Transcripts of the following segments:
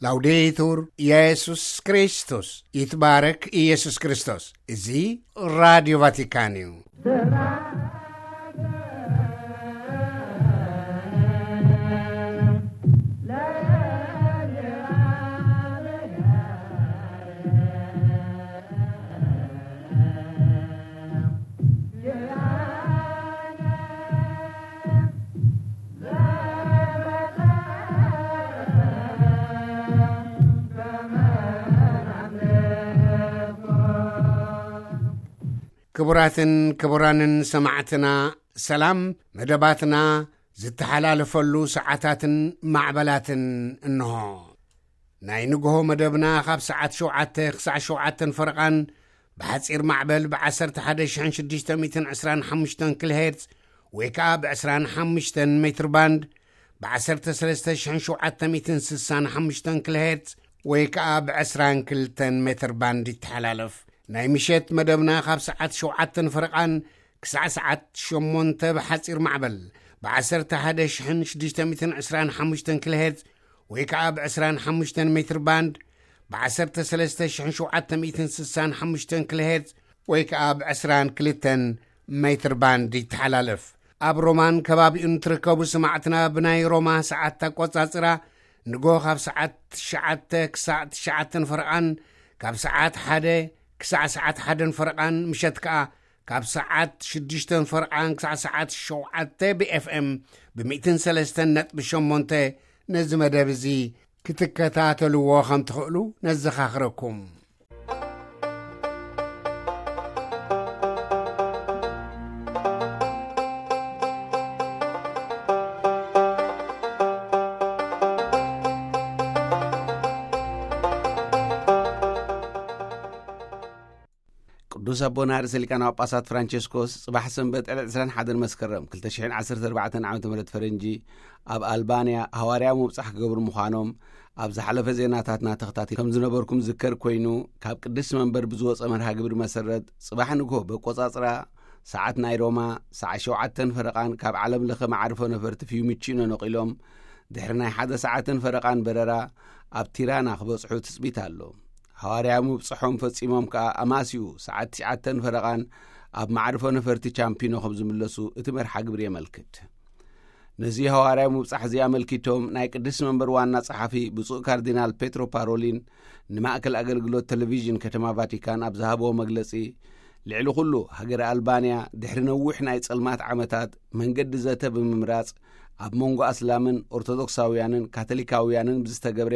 ላውዴቱር ኢየሱስ ክርስቶስ፣ ይትባረክ ኢየሱስ ክርስቶስ። እዚ ራዲዮ ቫቲካን እዩ። ክቡራትን ክቡራንን ሰማዕትና፣ ሰላም። መደባትና ዝተሓላለፈሉ ሰዓታትን ማዕበላትን እንሆ። ናይ ንግሆ መደብና ካብ ሰዓት ሸውዓተ ክሳዕ ሸውዓተን ፈረቓን ብሓጺር ማዕበል ብ11,625 ኪሎ ሄርዝ ወይ ከኣ ብ25 ሜትር ባንድ ብ ዓሰርተ ሰለስተ ሽሕን ሸውዓተ ሚእትን ስሳን ሓሙሽተን ኪሎ ሄርዝ ወይ ከኣ ብ22 ሜትር ባንድ ይተሓላለፍ። ናይ ምሸት መደብና ካብ ሰዓት ሸውዓተን ፈረቓን ክሳዕ ሰዓት ሸሞንተ ብሓጺር ማዕበል ብ11,625 ኪሎ ሄርዝ ወይ ከኣ ብ25 ሜትር ባንድ ብ13,765 ኪሎ ሄርዝ ወይ ከኣ ብ22 ሜትር ባንድ ይተሓላለፍ። ኣብ ሮማን ከባቢኡን ትርከቡ ስማዕትና፣ ብናይ ሮማ ሰዓት ኣቆጻጽራ ንጎ ካብ ሰዓት ትሽዓተ ክሳዕ ትሽዓተን ፈረቓን፣ ካብ ሰዓት ሓደ ክሳዕ ሰዓት ሓደን ፈረቓን፣ ምሸት ከኣ ካብ ሰዓት ሽዱሽተን ፈረቓን ክሳዕ ሰዓት ሸውዓተ ብ ኤፍ ኤም ብ ሚእትን ሰለስተን ነጥቢ ሸሞንተ ነዚ መደብ እዚ ክትከታተልዎ ከም ትኽእሉ ነዘኻኽረኩም። ቅዱስ ኣቦና ርእሰ ሊቃነ ጳጳሳት ፍራንቸስኮስ ጽባሕ ሰንበት ዕለት ዕስራን ሓደን መስከረም ክልተ ሽሕን ዓሰርተ ኣርባዕተን ዓመተ ምህረት ፈረንጂ ኣብ ኣልባንያ ሃዋርያዊ ምብጻሕ ክገብሩ ምዃኖም ኣብ ዝሓለፈ ዜናታትና ተኸታቲል ከም ዝነበርኩም ዝከር ኮይኑ፣ ካብ ቅድስቲ መንበር ብዝወጸ መርሃ ግብሪ መሰረት፣ ጽባሕ ንግሆ በቆጻጽራ ሰዓት ናይ ሮማ ሰዓት ሸውዓተን ፈረቓን ካብ ዓለም ለኸ መዓርፎ ነፈርቲ ፊዩሚቺኖ ነቒሎም፣ ድሕሪ ናይ ሓደ ሰዓትን ፈረቓን በረራ ኣብ ቲራና ክበጽሑ ትጽቢት ኣሎ። ሃዋርያዊ ምብጽሖም ፈጺሞም ከኣ ኣማስዩ ሰዓት ትሽዓተን ፈረቓን ኣብ መዓርፎ ነፈርቲ ቻምፒኖ ከም ዝምለሱ እቲ መርሓ ግብሪ የመልክት። ነዚ ሃዋርያዊ ምብጻሕ እዚ ኣመልኪቶም ናይ ቅድስቲ መንበር ዋና ጸሓፊ ብፁዕ ካርዲናል ፔትሮ ፓሮሊን ንማእከል ኣገልግሎት ቴሌቪዥን ከተማ ቫቲካን ኣብ ዝሃብዎ መግለጺ፣ ልዕሊ ኩሉ ሃገረ ኣልባንያ ድሕሪ ነዊሕ ናይ ጸልማት ዓመታት መንገዲ ዘተ ብምምራጽ ኣብ መንጎ ኣስላምን ኦርቶዶክሳውያንን ካቶሊካውያንን ብዝተገብረ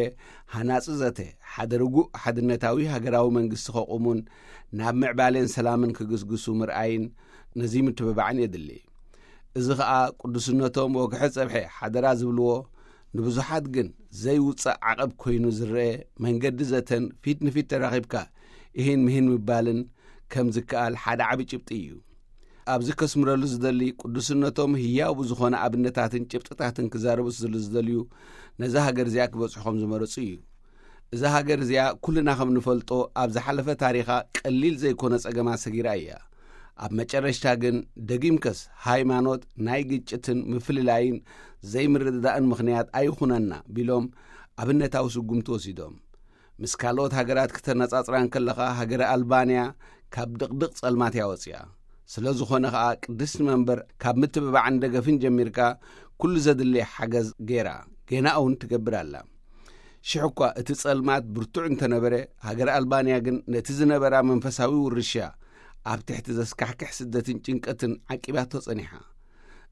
ሃናጺ ዘተ ሓደ ርጉእ ሓድነታዊ ሃገራዊ መንግስቲ ከቑሙን ናብ ምዕባሌን ሰላምን ክግስግሱ ምርኣይን ነዚ ምትብባዕን የድሊ። እዚ ኸኣ ቅዱስነቶም ወግሐ ጸብሐ ሓደራ ዝብልዎ ንብዙሓት ግን ዘይውጻእ ዓቐብ ኮይኑ ዝረአ መንገዲ ዘተን ፊት ንፊት ተራኺብካ እሂን ምሂን ምባልን ከም ዝከኣል ሓደ ዓቢ ጭብጢ እዩ። ኣብዚ ከስምረሉ ዝደሊ ቅዱስነቶም ህያው ብዝኾነ ኣብነታትን ጭብጥታትን ክዛረቡ ስለ ዝደልዩ ነዛ ሃገር እዚኣ ክበጽሑ ከም ዝመረጹ እዩ። እዛ ሃገር እዚኣ ኩልና ከም ንፈልጦ ኣብ ዝሓለፈ ታሪኻ ቀሊል ዘይኮነ ጸገማት ሰጊራ እያ። ኣብ መጨረሽታ ግን ደጊምከስ ሃይማኖት ናይ ግጭትን ምፍልላይን ዘይምርድዳእን ምኽንያት ኣይኹነና ቢሎም ኣብነታዊ ስጉምቲ ወሲዶም። ምስ ካልኦት ሃገራት ክተነጻጽራ እንከለኻ ሃገረ ኣልባንያ ካብ ድቕድቕ ጸልማት እያ ወጺኣ። ስለ ዝኾነ ኸኣ ቅድስቲ መንበር ካብ ምትብባዕን ደገፍን ጀሚርካ ኩሉ ዘድሊ ሓገዝ ገይራ፣ ገና እውን ትገብር ኣላ። ሽሕ እኳ እቲ ጸልማት ብርቱዕ እንተነበረ፣ ሃገረ ኣልባንያ ግን ነቲ ዝነበራ መንፈሳዊ ውርሻ ኣብ ትሕቲ ዘስካሕክሕ ስደትን ጭንቀትን ዓቂባቶ ጸኒሓ።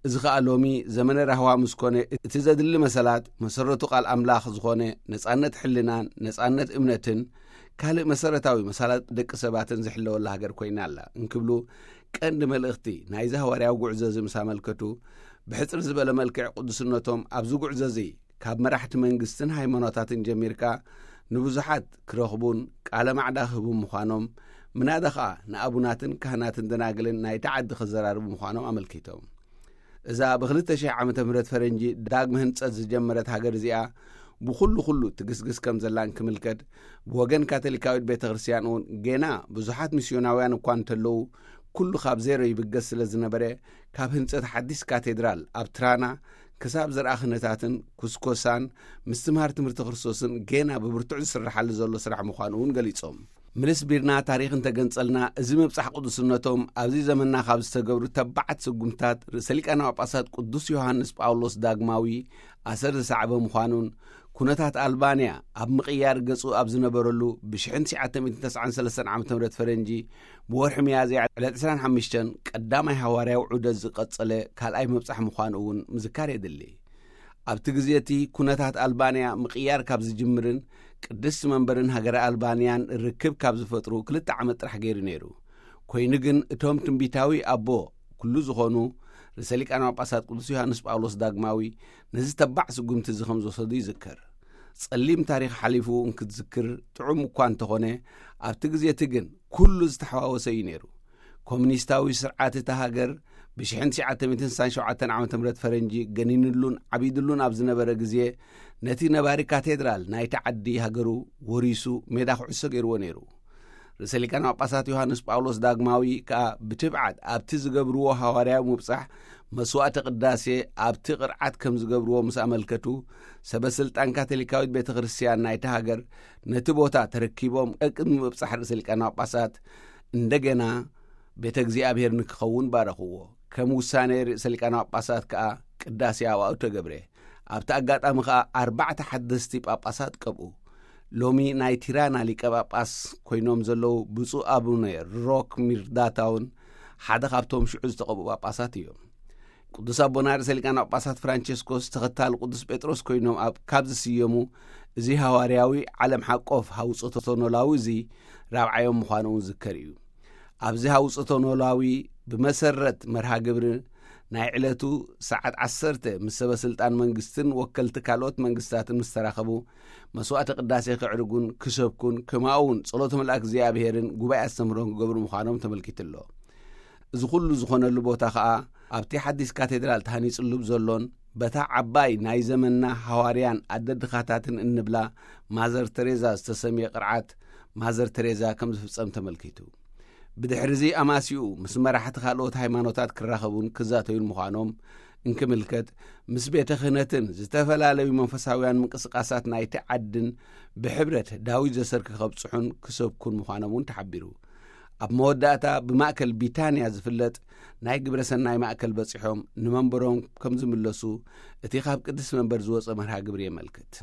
እዚ ኸኣ ሎሚ ዘመነ ራህዋ ምስ ኮነ፣ እቲ ዘድሊ መሰላት፣ መሰረቱ ቃል ኣምላኽ ዝኾነ ነጻነት ሕልናን ነጻነት እምነትን ካልእ መሰረታዊ መሰላት ደቂ ሰባትን ዝሕለወላ ሃገር ኮይና ኣላ እንክብሉ ቀንዲ መልእኽቲ ናይዚ ሃዋርያዊ ጉዕዞ እዚ ምስ ኣመልከቱ፣ ብሕጽር ዝበለ መልክዕ ቅዱስነቶም ኣብዚ ጉዕዞ እዚ ካብ መራሕቲ መንግስትን ሃይማኖታትን ጀሚርካ ንብዙሓት ክረኽቡን ቃለ ማዕዳ ክህቡ ምዃኖም፣ ምናዳ ኸኣ ንኣቡናትን ካህናትን ደናግልን ናይቲ ዓዲ ክዘራርቡ ምዃኖም ኣመልኪቶም። እዛ ብ2,000 ዓመተ ምህረት ፈረንጂ ዳግመ ህንጸት ዝጀመረት ሃገር እዚኣ ብኹሉ ኩሉ ትግስግስ ከም ዘላን ክምልከት፣ ብወገን ካቶሊካዊት ቤተ ክርስቲያን እውን ጌና ብዙሓት ሚስዮናውያን እኳ እንተለዉ፣ ኩሉ ካብ ዜሮ ይብገስ ስለ ዝነበረ፣ ካብ ህንጸት ሓዲስ ካቴድራል ኣብ ትራና ክሳብ ዘርኣ ክህነታትን ኩስኮሳን ምስትምሃር ትምህርቲ ክርስቶስን ጌና ብብርቱዕ ዝስርሓሉ ዘሎ ስራሕ ምዃኑ እውን ገሊጾም። ምልስ ቢርና ታሪኽ እንተገንጸልና፣ እዚ ምብጻሕ ቅዱስነቶም ኣብዚ ዘመንና ካብ ዝተገብሩ ተባዓት ስጉምትታት ርእሰ ሊቃነ ጳጳሳት ቅዱስ ዮሃንስ ጳውሎስ ዳግማዊ ኣሰር ዝሰዕበ ምዃኑን፣ ኩነታት ኣልባንያ ኣብ ምቕያር ገጹ ኣብ ዝነበረሉ፣ ብ ሽሕን ትሽዓተ ሚእትን ተስዓን ሰለስተን ዓመተ ምህረት ፈረንጂ ብወርሒ ሚያዝያ ዕለት ዕስራን ሓሙሽተን ቀዳማይ ሃዋርያዊ ዑደት ዝቐጸለ ካልኣይ ምብጻሕ ምዃኑ እውን ምዝካር የድሊ። ኣብቲ ግዜ እቲ ኩነታት ኣልባንያ ምቕያር ካብ ዝጅምርን ቅድስቲ መንበርን ሃገረ ኣልባንያን ርክብ ካብ ዝፈጥሩ ክልተ ዓመት ጥራሕ ገይሩ ነይሩ። ኮይኑ ግን እቶም ትንቢታዊ ኣቦ ኩሉ ዝኾኑ ርእሰ ሊቃነ ጳጳሳት ቅዱስ ዮሃንስ ጳውሎስ ዳግማዊ ነዚ ተባዕ ስጉምቲ እዚ ከም ዝወሰዱ ይዝከር። ጸሊም ታሪኽ ሓሊፉ እንክትዝክር ጥዑም እኳ እንተኾነ፣ ኣብቲ ግዜ እቲ ግን ኩሉ ዝተሓዋወሰ እዩ ነይሩ። ኮሙኒስታዊ ስርዓት እታ ሃገር ብ ሽሕን ትሽዓተ ሚእትን ስሳን ሸውዓተን ዓመተ ምህረት ፈረንጂ ገኒንሉን ዓቢድሉን ኣብ ዝነበረ ግዜ፣ ነቲ ነባሪ ካቴድራል ናይቲ ዓዲ ሃገሩ ወሪሱ ሜዳ ኩዕሶ ገይርዎ ነይሩ። ርእሰ ሊቃነ ጳጳሳት ዮሃንስ ጳውሎስ ዳግማዊ ከኣ ብትብዓት ኣብቲ ዝገብርዎ ሃዋርያዊ ምብጻሕ መስዋዕተ ቅዳሴ ኣብቲ ቅርዓት ከም ዝገብርዎ ምስ ኣመልከቱ፣ ሰበ ስልጣን ካቶሊካዊት ቤተ ክርስቲያን ናይቲ ሃገር ነቲ ቦታ ተረኪቦም ቅድሚ ምብጻሕ ርእሰ ሊቃነ ጳጳሳት እንደገና ቤተ እግዚኣብሔር ንክኸውን ባረኽዎ። ከም ውሳኔ ርእሰ ሊቃነ ጳጳሳት ከኣ ቅዳሴ ኣብኡ ተገብረ። ኣብቲ ኣጋጣሚ ከኣ ኣርባዕተ ሓደስቲ ጳጳሳት ቀብኡ። ሎሚ ናይ ቲራና ሊቀ ጳጳስ ኮይኖም ዘለዉ ብፁዕ ኣቡነ ሮክ ሚርዳታውን ሓደ ካብቶም ሽዑ ዝተቐብኡ ጳጳሳት እዮም። ቅዱስ ኣቦና ርእሰ ሊቃነ ጳጳሳት ፍራንቸስኮስ ተኸታሊ ቅዱስ ጴጥሮስ ኮይኖም ኣብ፣ ካብ ዝስየሙ፣ እዚ ሃዋርያዊ ዓለም ሓቆፍ ሃውጾተ ኖላዊ እዚ ራብዓዮም ምዃኑ እውን ዝከር እዩ። ኣብዚ ሃውጾተ ኖላዊ ብመሰረት መርሃ ግብሪ ናይ ዕለቱ ሰዓት ዓሰርተ ምስ ሰበ ስልጣን መንግስትን ወከልቲ ካልኦት መንግስታትን ምስ ተራኸቡ፣ መስዋዕተ ቅዳሴ ከዕርጉን ክሰብኩን፣ ከማኡ እውን ጸሎተ መልኣክ እግዚኣብሔርን ጉባኤ ኣስተምህሮን ክገብሩ ምዃኖም ተመልኪቱ ኣሎ። እዚ ኩሉ ዝኾነሉ ቦታ ኸኣ ኣብቲ ሓዲስ ካቴድራል ተሃኒጽሉ ብዘሎን በታ ዓባይ ናይ ዘመንና ሃዋርያን ኣደ ድኻታትን እንብላ ማዘር ተሬዛ ዝተሰምየ ቅርዓት ማዘር ተሬዛ ከም ዝፍጸም ተመልኪቱ። ብድሕሪ እዚ ኣማሲኡ ምስ መራሕቲ ካልኦት ሃይማኖታት ክራኸቡን ክዛተዩን ምዃኖም እንክምልከት፣ ምስ ቤተ ክህነትን ዝተፈላለዩ መንፈሳውያን ምንቅስቃሳት ናይቲ ዓድን ብሕብረት ዳዊት ዘሰርክ ከብጽሑን ክሰብኩን ምዃኖም እውን ተሓቢሩ። ኣብ መወዳእታ ብማእከል ቢታንያ ዝፍለጥ ናይ ግብረ ሰናይ ማእከል በጺሖም ንመንበሮም ከም ዝምለሱ እቲ ካብ ቅድስቲ መንበር ዝወጸ መርሃ ግብሪ የመልክት።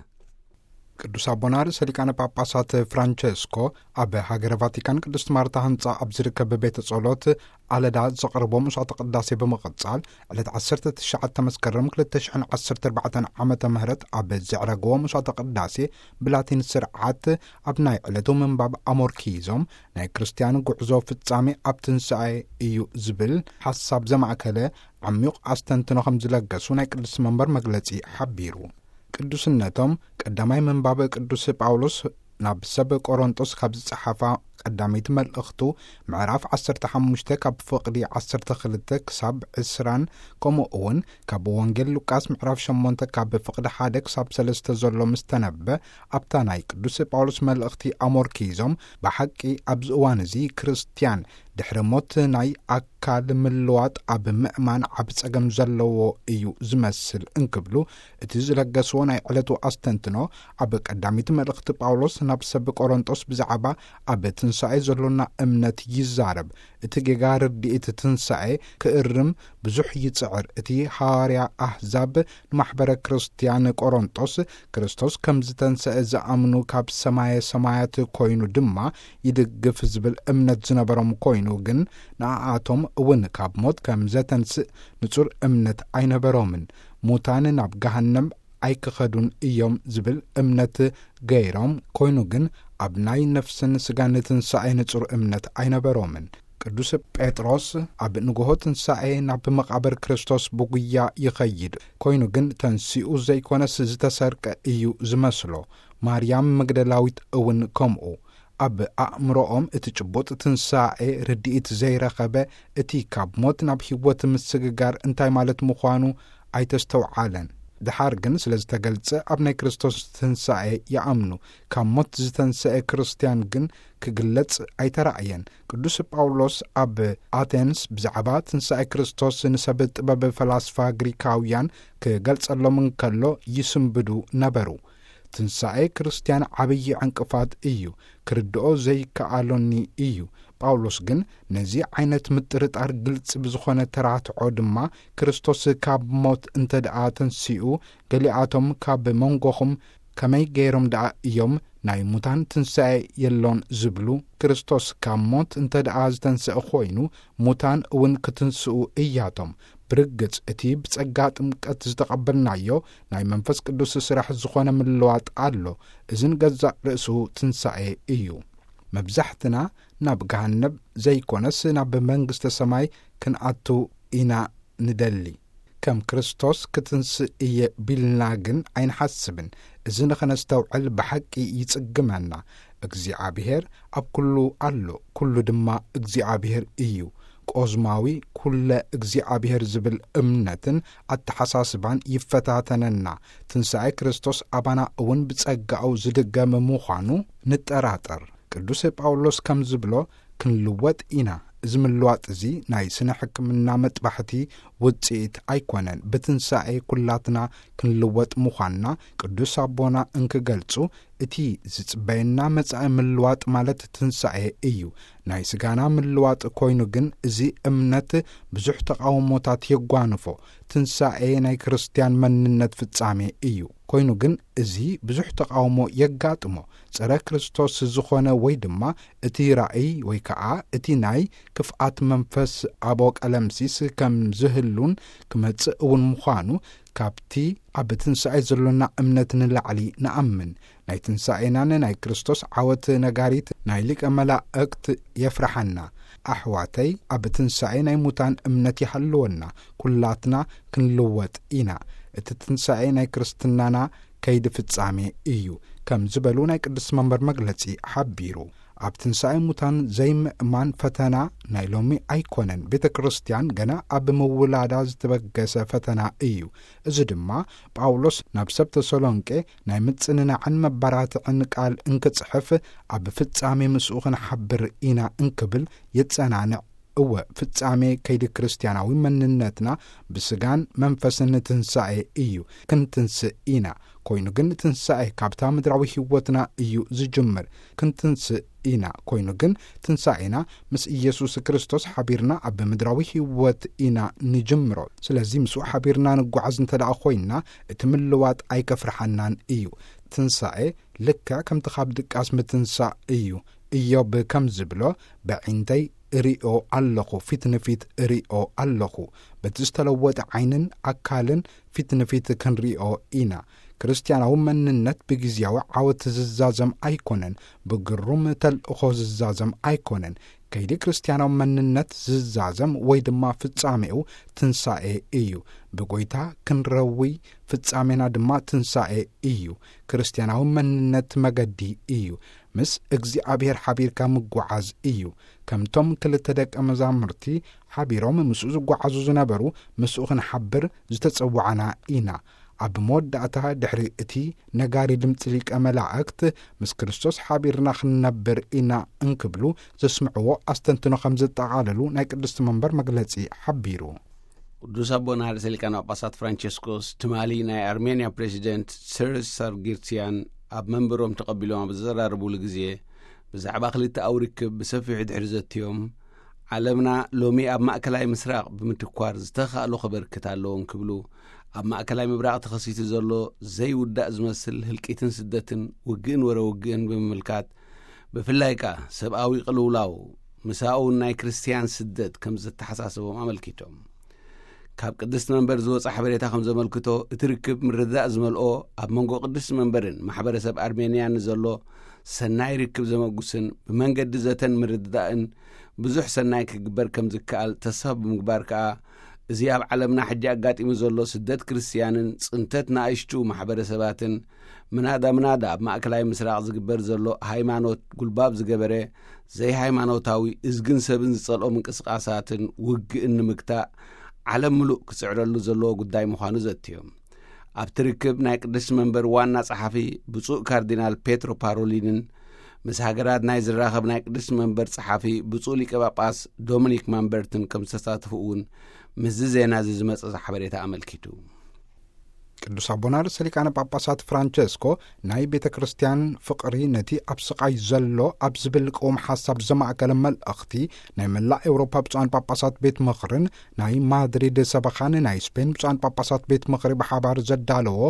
ቅዱስ ኣቦና ርእሰ ሊቃነ ጳጳሳት ፍራንቸስኮ ኣብ ሃገረ ቫቲካን ቅድስት ማርታ ህንጻ ኣብ ዝርከብ ቤተ ጸሎት ኣለዳ ዘቕርቦ መስዋዕተ ቅዳሴ ብምቕጻል፣ ዕለት ዓሰርተ ትሽዓተ መስከረም ክልተ ሽሕን ዓሰርተ ኣርባዕተን ዓመተ ምህረት ኣብ ዘዕረግዎ መስዋዕተ ቅዳሴ ብላቲን ስርዓት ኣብ ናይ ዕለቱ ምንባብ ኣሞርኪዞም፣ ናይ ክርስትያን ጉዕዞ ፍጻሜ ኣብ ትንሳኤ እዩ ዝብል ሓሳብ ዘማእከለ ዓሚቕ ኣስተንትኖ ከም ዝለገሱ ናይ ቅድስቲ መንበር መግለጺ ሓቢሩ። ቅዱስነቶም ቀዳማይ ምንባብ ቅዱስ ጳውሎስ ናብ ሰብ ቆሮንጦስ ካብ ዝጸሓፋ ቀዳመይቲ መልእኽቱ ምዕራፍ ዓሰርተ ሓሙሽተ ካብ ፍቕዲ ዓሰርተ ክልተ ክሳብ ዕስራን፣ ከምኡ እውን ካብ ወንጌል ሉቃስ ምዕራፍ ሸሞንተ ካብ ፍቕዲ ሓደ ክሳብ ሰለስተ ዘሎ ምስ ተነበ፣ ኣብታ ናይ ቅዱስ ጳውሎስ መልእኽቲ ኣሞርኪዞም፣ ብሓቂ ኣብዚ እዋን እዚ ክርስትያን ድሕሪ ሞት ናይ ኣካል ምልዋጥ ኣብ ምእማን ዓቢ ጸገም ዘለዎ እዩ ዝመስል እንክብሉ፣ እቲ ዝለገስዎ ናይ ዕለቱ ኣስተንትኖ ኣብ ቀዳሚት መልእኽቲ ጳውሎስ ናብ ሰብ ቆሮንጦስ ብዛዕባ ኣብ ትንሳኤ ዘሎና እምነት ይዛረብ። እቲ ጌጋ ርድኢት ትንሳኤ ክእርም ብዙሕ ይጽዕር። እቲ ሃዋርያ ኣህዛብ ንማሕበረ ክርስትያን ቆሮንጦስ ክርስቶስ ከም ዝተንሰአ ዝኣምኑ ካብ ሰማየ ሰማያት ኮይኑ ድማ ይድግፍ ዝብል እምነት ዝነበሮም ኮይኑ፣ ግን ንኣኣቶም እውን ካብ ሞት ከም ዘተንስእ ንጹር እምነት ኣይነበሮምን። ሙታን ናብ ገሃነም ኣይክኸዱን እዮም ዝብል እምነት ገይሮም፣ ኮይኑ ግን ኣብ ናይ ነፍስን ስጋን ትንሳኤ ንጹር እምነት ኣይነበሮምን። ቅዱስ ጴጥሮስ ኣብ ንግሆ ትንሳኤ ናብ መቓብር ክርስቶስ ብጉያ ይኸይድ፣ ኮይኑ ግን ተንሲኡ ዘይኮነስ ዝተሰርቀ እዩ ዝመስሎ። ማርያም መግደላዊት እውን ከምኡ። ኣብ ኣእምሮኦም እቲ ጭቡጥ ትንሳኤ ርድኢት ዘይረኸበ፣ እቲ ካብ ሞት ናብ ህይወት ምስግጋር እንታይ ማለት ምዃኑ ኣይተስተውዓለን። ድሓር ግን ስለ ዝተገልጸ ኣብ ናይ ክርስቶስ ትንሳኤ ይኣምኑ። ካብ ሞት ዝተንሰኤ ክርስትያን ግን ክግለጽ ኣይተራእየን። ቅዱስ ጳውሎስ ኣብ ኣቴንስ ብዛዕባ ትንሳኤ ክርስቶስ ንሰብ ጥበብ ፈላስፋ ግሪካውያን ክገልጸሎም እንከሎ ይስንብዱ ነበሩ። ትንሳኤ ክርስትያን ዓብዪ ዕንቅፋት እዩ፣ ክርድኦ ዘይከኣሎኒ እዩ። ጳውሎስ ግን ነዚ ዓይነት ምጥርጣር ግልጺ ብዝኾነ ተራትዖ ድማ ክርስቶስ ካብ ሞት እንተ ደኣ ተንሲኡ፣ ገሊኣቶም ካብ መንጎኹም ከመይ ገይሮም ደኣ እዮም ናይ ሙታን ትንሳኤ የሎን ዝብሉ? ክርስቶስ ካብ ሞት እንተ ደኣ ዝተንስአ ኮይኑ፣ ሙታን እውን ክትንስኡ እያቶም። ብርግጽ እቲ ብጸጋ ጥምቀት ዝተቐበልናዮ ናይ መንፈስ ቅዱስ ስራሕ ዝኾነ ምልዋጥ ኣሎ። እዝን ገዛእ ርእሱ ትንሳኤ እዩ። መብዛሕትና ናብ ገሃነብ ዘይኮነስ ናብ መንግስተ ሰማይ ክንኣቱ ኢና ንደሊ። ከም ክርስቶስ ክትንስእ እየ ቢልና ግን ኣይንሓስብን። እዚ ንኸነስተውዕል ብሓቂ ይጽግመና። እግዚኣብሔር ኣብ ኩሉ ኣሎ፣ ኩሉ ድማ እግዚኣብሔር እዩ። ቆዝማዊ ኩለ እግዚኣብሔር ዝብል እምነትን ኣተሓሳስባን ይፈታተነና። ትንሳኤ ክርስቶስ ኣባና እውን ብጸጋኡ ዝድገም ምዃኑ ንጠራጠር። ቅዱስ ጳውሎስ ከም ዝብሎ፣ ክንልወጥ ኢና። እዚ ምልዋጥ እዚ ናይ ስነ ሕክምና መጥባሕቲ ውጽኢት ኣይኮነን። ብትንሳኤ ኩላትና ክንልወጥ ምዃንና ቅዱስ ኣቦና እንክገልጹ፣ እቲ ዝጽበየና መጻኢ ምልዋጥ ማለት ትንሳኤ እዩ። ናይ ስጋና ምልዋጥ ኮይኑ ግን፣ እዚ እምነት ብዙሕ ተቓውሞታት የጓንፎ። ትንሳኤ ናይ ክርስትያን መንነት ፍጻሜ እዩ። ኮይኑ ግን፣ እዚ ብዙሕ ተቓውሞ የጋጥሞ። ጸረ ክርስቶስ ዝኾነ ወይ ድማ እቲ ራእይ ወይ ከኣ እቲ ናይ ክፍኣት መንፈስ ኣቦ ቀለምሲስ ከም ዝህሉን ክመጽእ እውን ምዃኑ ካብቲ ኣብ ትንሳኤ ዘሎና እምነት ንላዕሊ ንኣምን። ናይ ትንሳኤናን ናይ ክርስቶስ ዓወት ነጋሪት ናይ ሊቀ መላእክት የፍርሓና። ኣሕዋተይ፣ ኣብ ትንሳኤ ናይ ሙታን እምነት ይሃልወና። ኩላትና ክንልወጥ ኢና። እቲ ትንሳኤ ናይ ክርስትናና ከይዲ ፍጻሜ እዩ፣ ከም ዝበሉ ናይ ቅዱስ መንበር መግለጺ ሓቢሩ። ኣብ ትንሳኤ ሙታን ዘይምእማን ፈተና ናይ ሎሚ ኣይኮነን። ቤተ ክርስቲያን ገና ኣብ ምውላዳ ዝተበገሰ ፈተና እዩ። እዚ ድማ ጳውሎስ ናብ ሰብ ተሰሎንቄ ናይ ምጽንናዕን መባራትዕን ቃል እንክጽሕፍ፣ ኣብ ፍጻሜ ምስኡ ክንሓብር ኢና እንክብል የጸናንዕ። እወ፣ ፍጻሜ ከይዲ ክርስትያናዊ መንነትና ብስጋን መንፈስን ትንሳኤ እዩ። ክንትንስእ ኢና። ኮይኑ ግን ትንሳኤ ካብታ ምድራዊ ህይወትና እዩ ዝጅምር። ክንትንስእ ኢና። ኮይኑ ግን ትንሳኤና ምስ ኢየሱስ ክርስቶስ ሓቢርና ኣብ ምድራዊ ህይወት ኢና ንጅምሮ። ስለዚ ምስኡ ሓቢርና ንጓዓዝ እንተ ደኣ ኮይንና፣ እቲ ምልዋጥ ኣይከፍርሓናን እዩ። ትንሳኤ ልክዕ ከምቲ ካብ ድቃስ ምትንሳእ እዩ። ኢዮብ ከም ዝብሎ፣ "በዒንተይ እሪኦ ኣለኹ፣ ፊት ንፊት እሪኦ ኣለኹ።" በቲ ዝተለወጠ ዓይንን ኣካልን ፊት ንፊት ክንሪኦ ኢና። ክርስትያናዊ መንነት ብግዝያዊ ዓወት ዝዛዘም ኣይኮነን፣ ብግሩም ተልእኾ ዝዛዘም ኣይኮነን። ከይዲ ክርስትያናዊ መንነት ዝዛዘም ወይ ድማ ፍጻሜኡ ትንሳኤ እዩ። ብጎይታ ክንረዊ ፍጻሜና ድማ ትንሳኤ እዩ። ክርስትያናዊ መንነት መገዲ እዩ። ምስ እግዚኣብሔር ሓቢርካ ምጓዓዝ እዩ። ከምቶም ክልተ ደቀ መዛሙርቲ ሓቢሮም ምስኡ ዝጓዓዙ ዝነበሩ፣ ምስኡ ክንሓብር ዝተጸዋዕና ኢና። ኣብ መወዳእታ፣ ድሕሪ እቲ ነጋሪ ድምጺ ሊቀ መላእክት፣ "ምስ ክርስቶስ ሓቢርና ክንነብር ኢና" እንክብሉ ዘስምዕዎ ኣስተንትኖ ከም ዘጠቓለሉ ናይ ቅድስቲ መንበር መግለጺ ሓቢሩ። ቅዱስ ኣቦና ርእሰ ሊቃነ ጳጳሳት ፍራንቸስኮስ ትማሊ ናይ ኣርሜንያ ፕሬዚደንት ሰርጅ ሳርጊርሲያን ኣብ መንበሮም ተቐቢሎም ኣብ ዘዘራረቡሉ ግዜ፣ ብዛዕባ ክልተኣዊ ርክብ ብሰፊሑ ድሕሪ ዘትዮም፣ ዓለምና ሎሚ ኣብ ማእከላይ ምስራቕ ብምትኳር ዝተኻእሎ ከበርክት ኣለዎ እንክብሉ፣ ኣብ ማእከላይ ምብራቕ ተኸሲቱ ዘሎ ዘይውዳእ ዝመስል ህልቂትን ስደትን፣ ውግእን ወረ ውግእን ብምምልካት፣ ብፍላይ ከኣ ሰብኣዊ ቅልውላው ምሳኡን ናይ ክርስትያን ስደት ከም ዘተሓሳስቦም ኣመልኪቶም። ካብ ቅድስቲ መንበር ዝወጸ ሓበሬታ ከም ዘመልክቶ፣ እቲ ርክብ ምርድዳእ ዝመልኦ፣ ኣብ መንጎ ቅድስቲ መንበርን ማሕበረሰብ ኣርሜንያን ንዘሎ ሰናይ ርክብ ዘመጉስን ብመንገዲ ዘተን ምርድዳእን ብዙሕ ሰናይ ክግበር ከም ዝከኣል ተስፋ ብምግባር ከኣ፣ እዚ ኣብ ዓለምና ሕጂ ኣጋጢሙ ዘሎ ስደት ክርስትያንን ጽንተት ንኣሽቱ ማሕበረሰባትን፣ ምናዳ ምናዳ ኣብ ማእከላይ ምስራቕ ዝግበር ዘሎ ሃይማኖት ጉልባብ ዝገበረ ዘይሃይማኖታዊ እዝግን ሰብን ዝጸልኦ ምንቅስቓሳትን ውግእን ንምግታእ፣ ዓለም ምሉእ ክጽዕረሉ ዘለዎ ጉዳይ ምዃኑ ዘትዮም። ኣብቲ ርክብ ናይ ቅድስቲ መንበር ዋና ጸሓፊ ብፁዕ ካርዲናል ፔትሮ ፓሮሊንን ምስ ሃገራት ናይ ዝራኸብ ናይ ቅድስቲ መንበር ጸሓፊ ብፁዕ ሊቀ ጳጳስ ዶሚኒክ ማምበርትን ከም ዝተሳተፉ እውን ምስዚ ዜና እዚ ዝመጸ ሓበሬታ ኣመልኪቱ። ቅዱስ ኣቦና ርእሰ ሊቃነ ጳጳሳት ፍራንቸስኮ ናይ ቤተ ክርስቲያን ፍቕሪ ነቲ ኣብ ስቓይ ዘሎ ኣብ ዝብል ቅውም ሓሳብ ዘማእከለ መልእኽቲ ናይ መላእ ኤውሮፓ ብፁዓን ጳጳሳት ቤት ምኽርን ናይ ማድሪድ ሰበኻን ናይ ስፔን ብፁዓን ጳጳሳት ቤት ምኽሪ ብሓባር ዘዳለዎ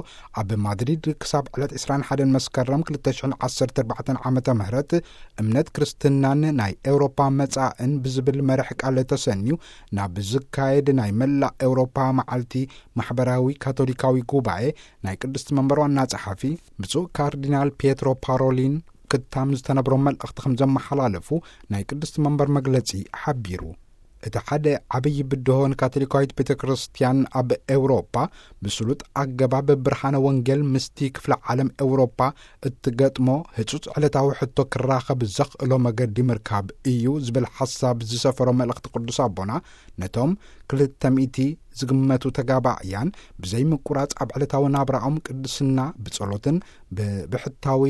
ኣብ ማድሪድ ክሳብ ዕለት ዕስራን ሓደን መስከረም ክልተ ሽሕን ዓሰርተ ኣርባዕተን ዓመተ ምህረት እምነት ክርስትናን ናይ ኤውሮፓ መጻእን ብዝብል መርሕ ቃል ተሰንዩ ናብ ዝካየድ ናይ መላእ ኤውሮፓ መዓልቲ ማሕበራዊ ካቶሊካዊ ጉባኤ ናይ ቅድስቲ መንበር ዋና ጸሓፊ ብፁዕ ካርዲናል ፒየትሮ ፓሮሊን ክታም ዝተነብሮ መልእኽቲ ከም ዘመሓላለፉ ናይ ቅድስቲ መንበር መግለጺ ሓቢሩ። እቲ ሓደ ዓብዪ ብድሆ ንካቶሊካዊት ቤተ ክርስቲያን ኣብ ኤውሮፓ ብስሉጥ ኣገባብ ብርሃነ ወንጌል ምስቲ ክፍለ ዓለም ኤውሮፓ እትገጥሞ ህጹጽ ዕለታዊ ሕቶ ክራኸብ ዘኽእሎ መገዲ ምርካብ እዩ ዝብል ሓሳብ ዝሰፈሮ መልእኽቲ ቅዱስ ኣቦና ነቶም ክልተ ሚእቲ ዝግመቱ ተጋባእያን ብዘይ ምቁራጽ ኣብ ዕለታዊ ናብራኦም ቅድስና ብጸሎትን ብብሕታዊ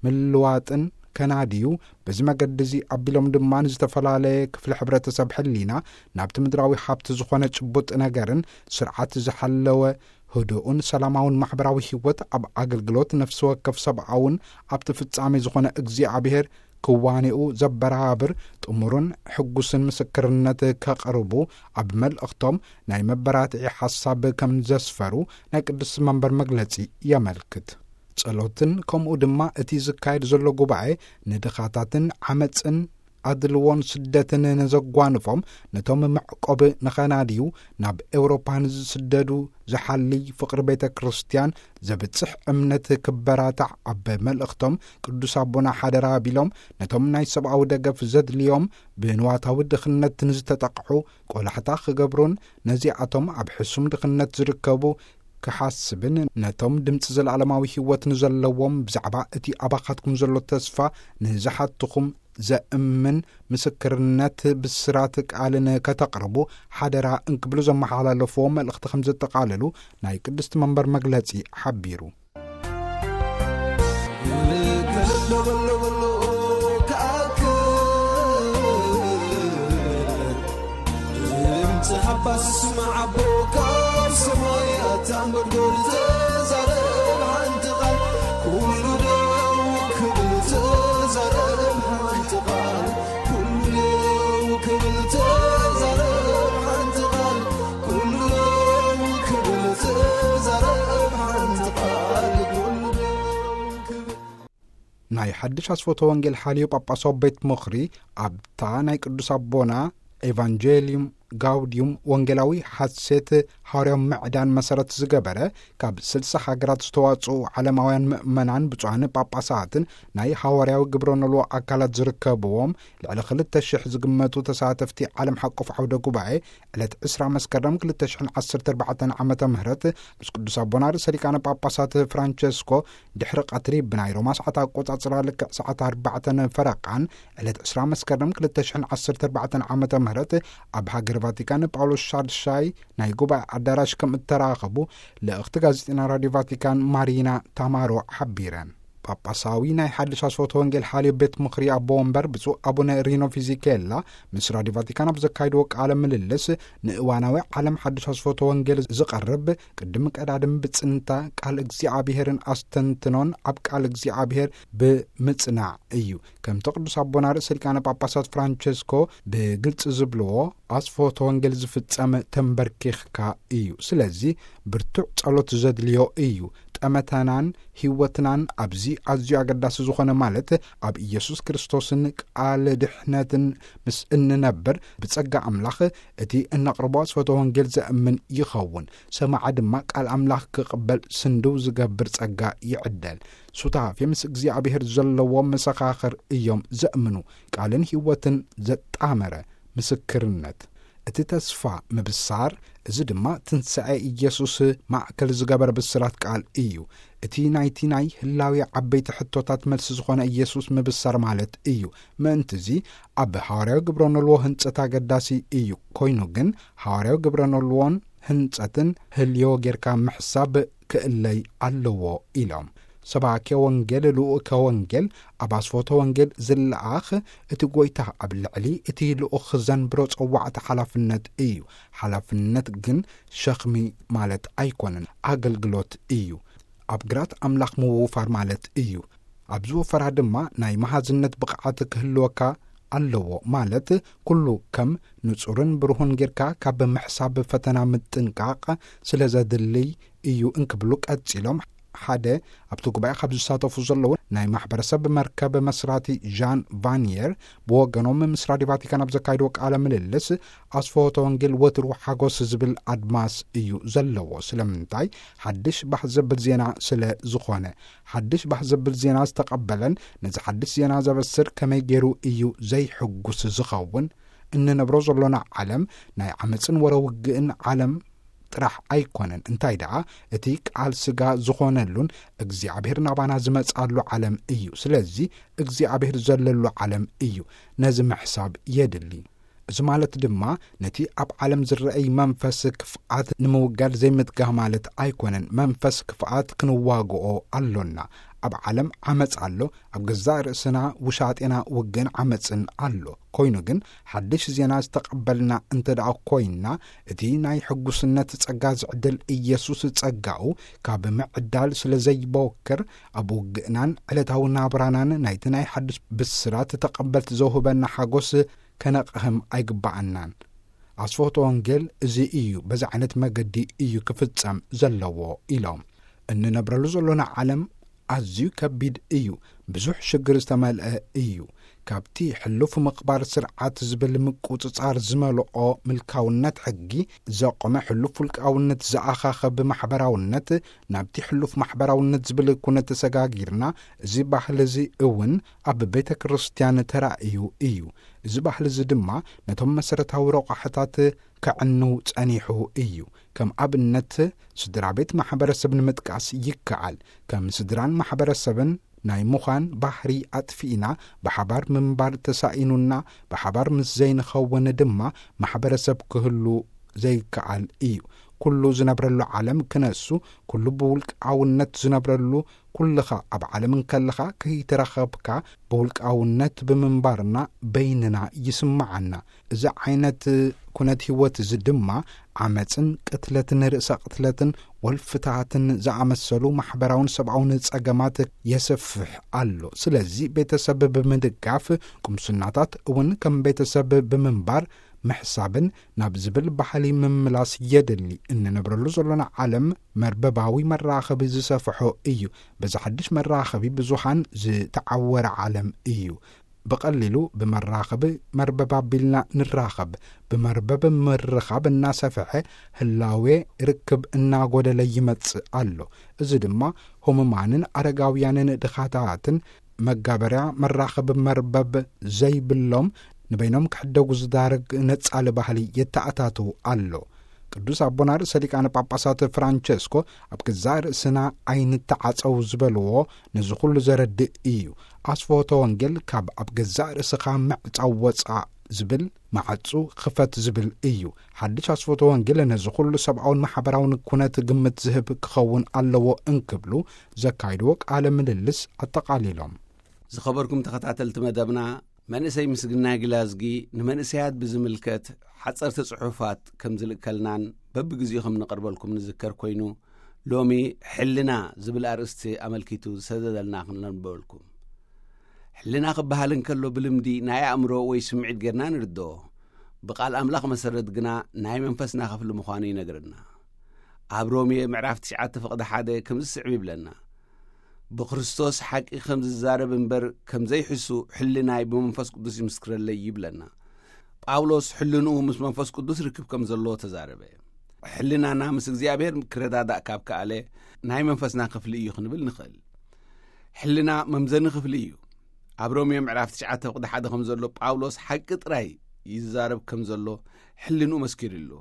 ምልዋጥን ከናድዩ፣ በዚ መገዲ እዚ ኣቢሎም ድማ ንዝተፈላለየ ክፍሊ ሕብረተሰብ ሕሊና ናብቲ ምድራዊ ሃብቲ ዝኾነ ጭቡጥ ነገርን ስርዓት ዝሓለወ ህዱእን ሰላማውን ማሕበራዊ ህይወት ኣብ ኣገልግሎት ነፍሲ ወከፍ ሰብኣውን ኣብቲ ፍጻሜ ዝኾነ እግዚኣብሔር ክዋኔኡ ዘበራብር ጥሙርን ሕጉስን ምስክርነት ከቕርቡ ኣብ መልእኽቶም ናይ መበራትዒ ሓሳብ ከም ዘስፈሩ ናይ ቅድስቲ መንበር መግለጺ የመልክት። ጸሎትን ከምኡ ድማ እቲ ዝካየድ ዘሎ ጉባኤ ንድኻታትን ዓመጽን ኣድልዎን ስደትን ንዘጓንፎም ነቶም መዕቆብ ንኸናድዩ ናብ ኤውሮፓ ንዝስደዱ ዝሓሊ ፍቕሪ ቤተ ክርስቲያን ዘብጽሕ እምነት ክበራታዕ ኣብ መልእኽቶም ቅዱስ ኣቦና ሓደራ ኣቢሎም ነቶም ናይ ሰብኣዊ ደገፍ ዘድልዮም ብንዋታዊ ድኽነት ንዝተጠቕሑ ቆላሕታ ክገብሩን ነዚኣቶም ኣብ ሕሱም ድኽነት ዝርከቡ ክሓስብን ነቶም ድምፂ ዘለዓለማዊ ህይወት ንዘለዎም ብዛዕባ እቲ ኣባኻትኩም ዘሎ ተስፋ ንዝሓትኹም ዘእምን ምስክርነት ብስራት ቃልን ከተቕርቡ ሓደራ እንክብሉ ዘመሓላለፍዎ መልእኽቲ ከም ዘጠቓለሉ ናይ ቅድስቲ መንበር መግለጺ ሓቢሩ። ድምፂ ሓባስ ስማዕ ኣቦ ካብ ሰማይ ኣታ መርጎል ተዛረብ ሓንቲ ቃል ኩሉ ደው ክብል ተዛረብ ሓንቲ ቃል ኩሉ ደው ክብል ተዛረብ ሓንቲ ቃል ኩሉ ደው ክብል ተዛረብ ሓንቲ ቃል ኩሉ ደው ክብል ናይ ሓድሽ ኣስፎተ ወንጌል ሓልዮ ጳጳሳዊ ቤት ምኽሪ ኣብታ ናይ ቅዱስ ኣቦና ኤቫንጀሊዩም ጋውዲዩም ወንጌላዊ ሓሴት ሃዋርያዊ ምዕዳን መሰረት ዝገበረ ካብ ስልሳ ሃገራት ዝተዋጽኡ ዓለማውያን ምእመናን ብፁዓን ጳጳሳትን ናይ ሃዋርያዊ ግብረ ኖልዎ ኣካላት ዝርከብዎም ልዕሊ ክልተ ሽሕ ዝግመቱ ተሳተፍቲ ዓለም ሓቆፍ ዓውደ ጉባኤ ዕለት ዕስራ መስከረም ክልተ ሽሕን ዓሰርተ ኣርባዕተን ዓመተ ምህረት ምስ ቅዱስ ኣቦና ርእሰ ሊቃነ ጳጳሳት ፍራንቸስኮ ድሕሪ ቀትሪ ብናይ ሮማ ሰዓት ኣቆጻጽራ ልክዕ ሰዓት ኣርባዕተን ፈረቓን ዕለት ዕስራ መስከረም ክልተ ሽሕን ዓሰርተ ኣርባዕተን ዓመተ ምህረት ኣብ ሃገር ቫቲካን ጳውሎስ ሻድሻይ ናይ ጉባኤ ኣዳራሽ ከም እተራኸቡ ልእኽቲ ጋዜጠና ራድዮ ቫቲካን ማሪና ታማሮ ሓቢረን። ጳጳሳዊ ናይ ሓድሽ ኣስፎተ ወንጌል ሓልዮ ቤት ምኽሪ ኣቦ ወንበር ብፁዕ ኣቡነ ሪኖ ፊዚኬላ ምስ ራድዮ ቫቲካን ኣብ ዘካየድዎ ቃለ ምልልስ ንእዋናዊ ዓለም ሓድሽ ኣስፎተ ወንጌል ዝቐርብ ቅድሚ ቀዳድም ብጽንታ ቃል እግዚኣብሔርን ኣስተንትኖን ኣብ ቃል እግዚኣብሔር ብምጽናዕ እዩ። ከምቲ ቅዱስ ኣቦና ርእሰ ሊቃነ ጳጳሳት ፍራንቸስኮ ብግልጺ ዝብልዎ ኣስፎተ ወንጌል ዝፍጸም ተንበርኪኽካ እዩ። ስለዚ ብርቱዕ ጸሎት ዘድልዮ እዩ። ጠመተናን ህይወትናን ኣብዚ ኣዝዩ ኣገዳሲ ዝኾነ ማለት ኣብ ኢየሱስ ክርስቶስን ቃል ድሕነትን ምስ እንነብር ብጸጋ ኣምላኽ እቲ እነቕርቦ ኣስፎተ ወንጌል ዘእምን ይኸውን። ሰማዓ ድማ ቃል ኣምላኽ ክቕበል ስንድው ዝገብር ጸጋ ይዕደል። ሱታፌ ምስ እግዚኣብሔር ዘለዎ መሰኻኽር እዮም ዘእምኑ። ቃልን ህይወትን ዘጣመረ ምስክርነት። እቲ ተስፋ ምብሳር፣ እዚ ድማ ትንሳኤ ኢየሱስ ማእከል ዝገበረ ብስራት ቃል እዩ። እቲ ናይቲ ናይ ህላዌ ዓበይቲ ሕቶታት መልሲ ዝኾነ ኢየሱስ ምብሳር ማለት እዩ። ምእንትዚ ኣብ ሃዋርያዊ ግብረ ኖልዎ ህንጸት ኣገዳሲ እዩ። ኮይኑ ግን ሃዋርያዊ ግብረ ኖልዎን ህንጸትን ህልዮ ጌርካ ምሕሳብ ክእለይ ኣለዎ ኢሎም። ሰባኬ ወንጌል፣ ልኡከ ወንጌል፣ ኣብ ኣስፎተ ወንጌል ዝለኣኽ እቲ ጐይታ ኣብ ልዕሊ እቲ ልኡኽ ዘንብሮ ጸዋዕቲ ሓላፍነት እዩ። ሓላፍነት ግን ሸኽሚ ማለት ኣይኮነን፣ ኣገልግሎት እዩ። ኣብ ግራት ኣምላኽ ምውፋር ማለት እዩ። ኣብ ዝወፈራ ድማ ናይ መሃዝነት ብቕዓት ክህልወካ ኣለዎ፣ ማለት ኩሉ ከም ንጹርን ብሩሁን ጌርካ ካብ ምሕሳብ ፈተና ምጥንቃቕ ስለ ዘድልይ እዩ እንክብሉ ቀጺሎም፣ ሓደ ኣብቲ ጉባኤ ካብ ዝሳተፉ ዘለዉ ናይ ማሕበረሰብ መርከብ መስራቲ ዣን ቫንየር ብወገኖም ምስ ራድዮ ቫቲካን ኣብ ዘካይድዎ ቃለ ምልልስ፣ ኣስፈሆተ ወንጌል ወትሩ ሓጎስ ዝብል ኣድማስ እዩ ዘለዎ። ስለምንታይ? ሓድሽ ባህ ዘብል ዜና ስለ ዝኾነ። ሓድሽ ባህ ዘብል ዜና ዝተቐበለን ነዚ ሓድሽ ዜና ዘበስር ከመይ ገይሩ እዩ ዘይሕጉስ ዝኸውን? እንነብሮ ዘሎና ዓለም ናይ ዓመፅን ወረ ውግእን ዓለም ጥራሕ ኣይኮነን። እንታይ ደኣ፣ እቲ ቃል ስጋ ዝኾነሉን እግዚኣብሔር ናባና ዝመጻሉ ዓለም እዩ። ስለዚ እግዚኣብሔር ዘለሉ ዓለም እዩ። ነዚ ምሕሳብ የድሊ። እዚ ማለት ድማ ነቲ ኣብ ዓለም ዝረአይ መንፈስ ክፍኣት ንምውጋድ ዘይምትጋህ ማለት ኣይኮነን። መንፈስ ክፍኣት ክንዋግኦ ኣሎና። ኣብ ዓለም ዓመጽ ኣሎ። ኣብ ገዛእ ርእስና ውሻጤና ውግእን ዓመጽን ኣሎ። ኮይኑ ግን ሓድሽ ዜና ዝተቐበልና እንተ ደኣ ኮይንና፣ እቲ ናይ ሕጉስነት ጸጋ ዝዕድል ኢየሱስ ጸጋኡ ካብ ምዕዳል ስለ ዘይበወክር፣ ኣብ ውግእናን ዕለታዊ ናብራናን ናይቲ ናይ ሓድሽ ብስራት ተቐበልቲ ዘውህበና ሓጎስ ከነቕህም ኣይግባኣናን። ኣስፈሆተ ወንጌል እዚ እዩ፣ በዚ ዓይነት መገዲ እዩ ክፍጸም ዘለዎ ኢሎም። እንነብረሉ ዘሎና ዓለም ኣዝዩ ከቢድ እዩ፣ ብዙሕ ሽግር ዝተመልአ እዩ። ካብቲ ሕሉፍ ምኽባር ስርዓት ዝብል ምቁጽጻር ዝመልኦ ምልካውነት ሕጊ ዘቆመ ሕሉፍ ውልቃውነት ዝኣኻኸብ ማሕበራውነት ናብቲ ሕሉፍ ማሕበራውነት ዝብል ኩነት ተሰጋጊርና፣ እዚ ባህሊ እዚ እውን ኣብ ቤተ ክርስቲያን ተራእዩ እዩ። እዚ ባህሊ እዚ ድማ ነቶም መሰረታዊ ረቋሕታት ከዕንው ጸኒሑ እዩ። ከም ኣብነት ስድራ ቤት ማሕበረሰብ ንምጥቃስ ይከኣል። ከም ስድራን ማሕበረሰብን ናይ ምዃን ባህሪ ኣጥፊእና ብሓባር ምንባር ተሳኢኑና፣ ብሓባር ምስ ዘይንኸውን ድማ ማሕበረሰብ ክህሉ ዘይከኣል እዩ። ኩሉ ዝነብረሉ ዓለም ክነሱ፣ ኩሉ ብውልቃውነት ዝነብረሉ፣ ኩልኻ ኣብ ዓለም እንከለኻ ከይተራኸብካ ብውልቃውነት ብምንባርና በይንና ይስምዓና። እዚ ዓይነት ኩነት ህይወት እዚ ድማ ዓመጽን ቅትለትን ርእሰ ቅትለትን ወልፍታትን ዝኣመሰሉ ማሕበራውን ሰብኣውን ጸገማት የስፍሕ ኣሎ። ስለዚ ቤተሰብ ብምድጋፍ፣ ቁምስናታት እውን ከም ቤተሰብ ብምንባር ምሕሳብን ናብ ዝብል ባህሊ ምምላስ የድሊ። እንነብረሉ ዘሎና ዓለም መርበባዊ መራኸቢ ዝሰፍሖ እዩ። በዚ ሓድሽ መራኸቢ ብዙሃን ዝተዓወረ ዓለም እዩ። ብቐሊሉ ብመራኸቢ መርበብ ኣቢልና ንራኸብ። ብመርበብ ምርኻብ እናሰፍሐ ህላዌ ርክብ እናጎደለ ይመጽእ ኣሎ። እዚ ድማ ህሙማንን ኣረጋውያንን ድኻታትን መጋበርያ መራኸቢ መርበብ ዘይብሎም ንበይኖም ክሕደጉ ዝዳርግ ነጻሊ ባህሊ የተኣታትው ኣሎ። ቅዱስ ኣቦና ርእሰ ሊቃነ ጳጳሳት ፍራንቸስኮ ኣብ ገዛእ ርእስና ኣይንተዓጸው ዝበልዎ ነዚ ኩሉ ዘረድእ እዩ። ኣስፍሆተ ወንጌል ካብ ኣብ ገዛእ ርእስኻ ምዕጻው ወጻእ ዝብል፣ ማዕጹ ክፈት ዝብል እዩ። ሓድሽ ኣስፍሆተ ወንጌል ነዚ ኩሉ ሰብኣውን ማሕበራውን ኩነት ግምት ዝህብ ክኸውን ኣለዎ እንክብሉ ዘካይድዎ ቃለ ምልልስ ኣጠቓሊሎም። ዝኸበርኩም ተኸታተልቲ መደብና፣ መንእሰይ ምስግናይ ግላዝጊ ንመንእሰያት ብዝምልከት ሓጸርቲ ጽሑፋት ከም ዝልእከልናን በብግዜኡ ከም ንቐርበልኩም ንዝከር ኮይኑ፣ ሎሚ ሕልና ዝብል ኣርእስቲ ኣመልኪቱ ዝሰደደልና ክነንበበልኩም። ሕልና ክበሃል እንከሎ ብልምዲ ናይ ኣእምሮ ወይ ስምዒት ጌርና ንርድኦ። ብቃል ኣምላኽ መሰረት ግና ናይ መንፈስና ክፍሊ ምዃኑ ይነግረና። ኣብ ሮሜ ምዕራፍ ትሽዓተ ፍቕዲ ሓደ ከምዚ ስዕብ ይብለና፣ ብክርስቶስ ሓቂ ከም ዝዛረብ እምበር ከም ዘይሕሱ ሕልናይ ብመንፈስ ቅዱስ ይምስክረለይ ይብለና። ጳውሎስ ሕልንኡ ምስ መንፈስ ቅዱስ ርክብ ከም ዘለዎ ተዛረበ። ሕልናና ምስ እግዚኣብሔር ክረዳዳእ ካብ ከኣለ፣ ናይ መንፈስና ክፍሊ እዩ ክንብል ንኽእል። ሕልና መምዘኒ ክፍሊ እዩ። ኣብ ሮሜ ምዕራፍ ትሽዓተ ፍቕዲ ሓደ ከም ዘሎ ጳውሎስ ሓቂ ጥራይ ይዛረብ ከም ዘሎ ሕልንኡ መስኪሩ ኣሎ።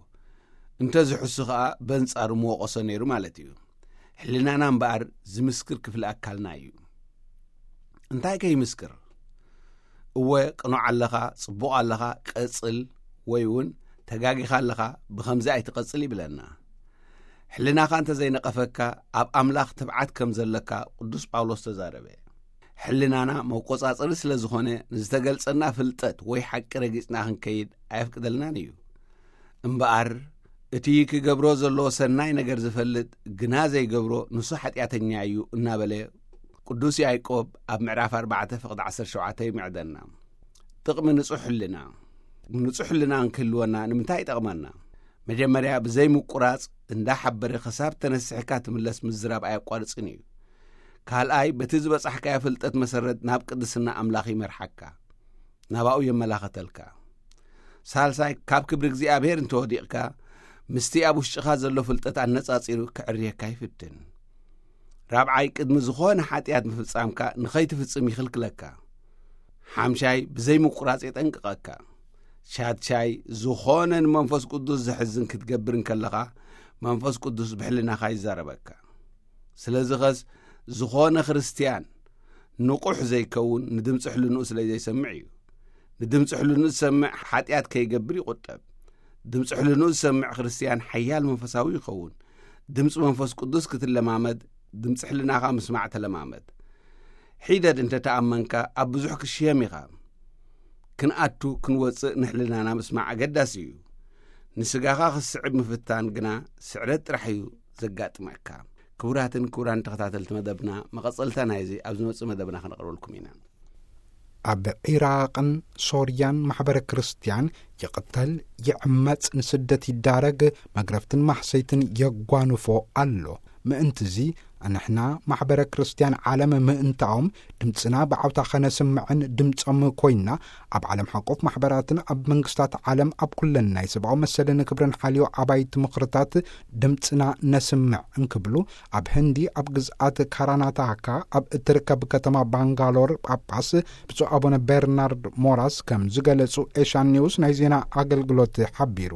እንተ ዝሕሱ ኸኣ በንጻሩ ምወቐሶ ነይሩ ማለት እዩ። ሕልናና እምበኣር ዝምስክር ክፍሊ ኣካልና እዩ። እንታይ ከ ይምስክር? እወ፣ ቅኑዕ ኣለኻ፣ ጽቡቕ ኣለኻ፣ ቀጽል፣ ወይ እውን ተጋጊኻ ኣለኻ፣ ብኸምዚ ኣይትቐጽል ይብለና። ሕልናኻ እንተ ዘይነቐፈካ፣ ኣብ ኣምላኽ ትብዓት ከም ዘለካ ቅዱስ ጳውሎስ ተዛረበ። ሕልናና መቆጻጸሪ ስለ ዝኾነ፣ ንዝተገልጸና ፍልጠት ወይ ሓቂ ረጊጽና ክንከይድ ኣየፍቅደልናን እዩ። እምበኣር፣ እቲ ክገብሮ ዘለዎ ሰናይ ነገር ዝፈልጥ ግና ዘይገብሮ፣ ንሱ ሓጢኣተኛ እዩ እናበለ ቅዱስ ያዕቆብ ኣብ ምዕራፍ ኣርባዕተ ፍቕዲ ዓሰርተ ሸውዓተ ይምዕደና። ጥቕሚ ንጹሕ ሕልና። ንጹሕ ሕልና እንክህልወና ንምንታይ ይጠቕመና? መጀመርያ፣ ብዘይ ምቁራጽ እንዳሓበረ ክሳብ ተነሲሕካ ትምለስ ምዝራብ ኣየቋርጽን እዩ። ካልኣይ፣ በቲ ዝበጻሕካዮ ፍልጠት መሰረት ናብ ቅድስና ኣምላኽ ይመርሓካ፣ ናባኡ የመላኸተልካ። ሳልሳይ፣ ካብ ክብሪ እግዚኣብሔር እንተወዲቕካ፣ ምስቲ ኣብ ውሽጥኻ ዘሎ ፍልጠት ኣነጻጺሩ ክዕርየካ ይፍትን። ራብዓይ፣ ቅድሚ ዝኾነ ሓጢኣት ምፍጻምካ ንኸይትፍጽም ይኽልክለካ። ሓምሻይ፣ ብዘይ ምቁራጽ የጠንቅቐካ። ሻድሻይ፣ ዝኾነ ንመንፈስ ቅዱስ ዘሕዝን ክትገብር እንከለኻ፣ መንፈስ ቅዱስ ብሕልናኻ ይዛረበካ። ስለዚ ኸስ፣ ዝኾነ ክርስትያን ንቑሕ ዘይከውን ንድምፂ ሕልንኡ ስለ ዘይሰምዕ እዩ። ንድምፂ ሕልንኡ ዝሰምዕ ሓጢኣት ከይገብር ይቑጠብ። ድምፂ ሕልንኡ ዝሰምዕ ክርስትያን ሓያል መንፈሳዊ ይኸውን። ድምፂ መንፈስ ቅዱስ ክትለማመድ፣ ድምፂ ሕልናኻ ምስማዕ ተለማመድ። ሒደት እንተ ተኣመንካ፣ ኣብ ብዙሕ ክሽየም ኢኻ። ክንኣቱ ክንወፅእ ንሕልናና ምስማዕ ኣገዳሲ እዩ። ንስጋኻ ክትስዕብ ምፍታን ግና ስዕረት ጥራሕ እዩ ዘጋጥመካ። ክቡራትን ክቡራን ተኸታተልቲ መደብና፣ መቐጸልታ ናይዚ ኣብ ዝመጽእ መደብና ከነቕርበልኩም ኢና። ኣብ ዒራቕን ሶርያን ማሕበረ ክርስትያን ይቕተል፣ ይዕመጽ፣ ንስደት ይዳረግ፣ መግረፍትን ማሕሰይትን የጓንፎ ኣሎ። ምእንትዚ ንሕና ማሕበረ ክርስትያን ዓለም ምእንታኦም ድምፅና ብዓውታ ኸነስምዕን ድምፆም ኮይና ኣብ ዓለም ሓቆፍ ማሕበራትን ኣብ መንግስታት ዓለም ኣብ ኩለን ናይ ሰብኣዊ መሰልን ክብርን ሓልዮ ኣባይቲ ምኽርታት ድምፅና ነስምዕ እንክብሉ ኣብ ህንዲ ኣብ ግዝኣት ካራናታካ ኣብ እትርከብ ከተማ ባንጋሎር ጳጳስ ብፁዕ ኣቡነ ቤርናርድ ሞራስ ከም ዝገለጹ ኤሻን ኒውስ ናይ ዜና ኣገልግሎት ሓቢሩ።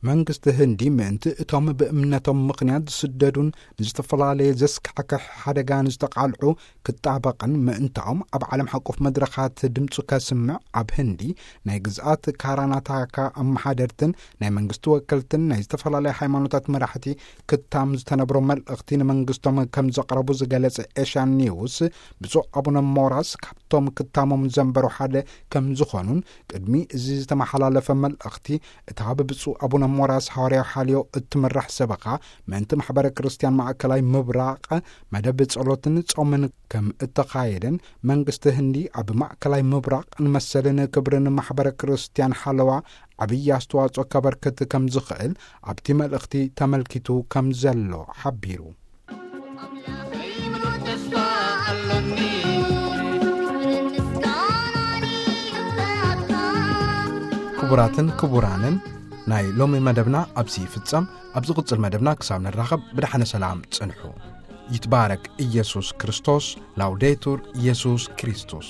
መንግስቲ ህንዲ ምእንቲ እቶም ብእምነቶም ምኽንያት ዝስደዱን ንዝተፈላለየ ዘስካሕክሕ ሓደጋ ንዝተቓልዑ ክጣበቕን ምእንታኦም ኣብ ዓለም ሓቆፍ መድረኻት ድምፁ ከስምዕ ኣብ ህንዲ ናይ ግዝኣት ካራናታካ ኣመሓደርትን ናይ መንግስቲ ወከልትን ናይ ዝተፈላለያ ሃይማኖታት መራሕቲ ክታም ዝተነብሮ መልእኽቲ ንመንግስቶም ከም ዘቕረቡ ዝገለጸ ኤሻን ኒውስ ብፁዕ ኣቡነ ሞራስ ካብቶም ክታሞም ዘንበሩ ሓደ ከም ዝኾኑን ቅድሚ እዚ ዝተመሓላለፈ መልእኽቲ እታ ብብፁዕ ኣቡነ ሞራስ ሃዋርያዊ ሓልዮ እትምራሕ ሰበኻ ምእንቲ ማሕበረ ክርስትያን ማእከላይ ምብራቕ መደብ ጸሎትን ጾምን ከም እተኻየደን መንግስቲ ህንዲ ኣብ ማእከላይ ምብራቕ ንመሰልን ክብርን ማሕበረ ክርስትያን ሓለዋ ዓብዪ ኣስተዋጽኦ ከበርክት ከም ዝኽእል ኣብቲ መልእኽቲ ተመልኪቱ ከም ዘሎ ሓቢሩ። ክቡራትን ክቡራንን፣ ናይ ሎሚ መደብና ኣብዚ ይፍጸም። ኣብ ዝቕጽል መደብና ክሳብ ንራኸብ ብደሓነ ሰላም ጽንሑ። ይትባረክ ኢየሱስ ክርስቶስ። ላውዴቱር ኢየሱስ ክርስቶስ።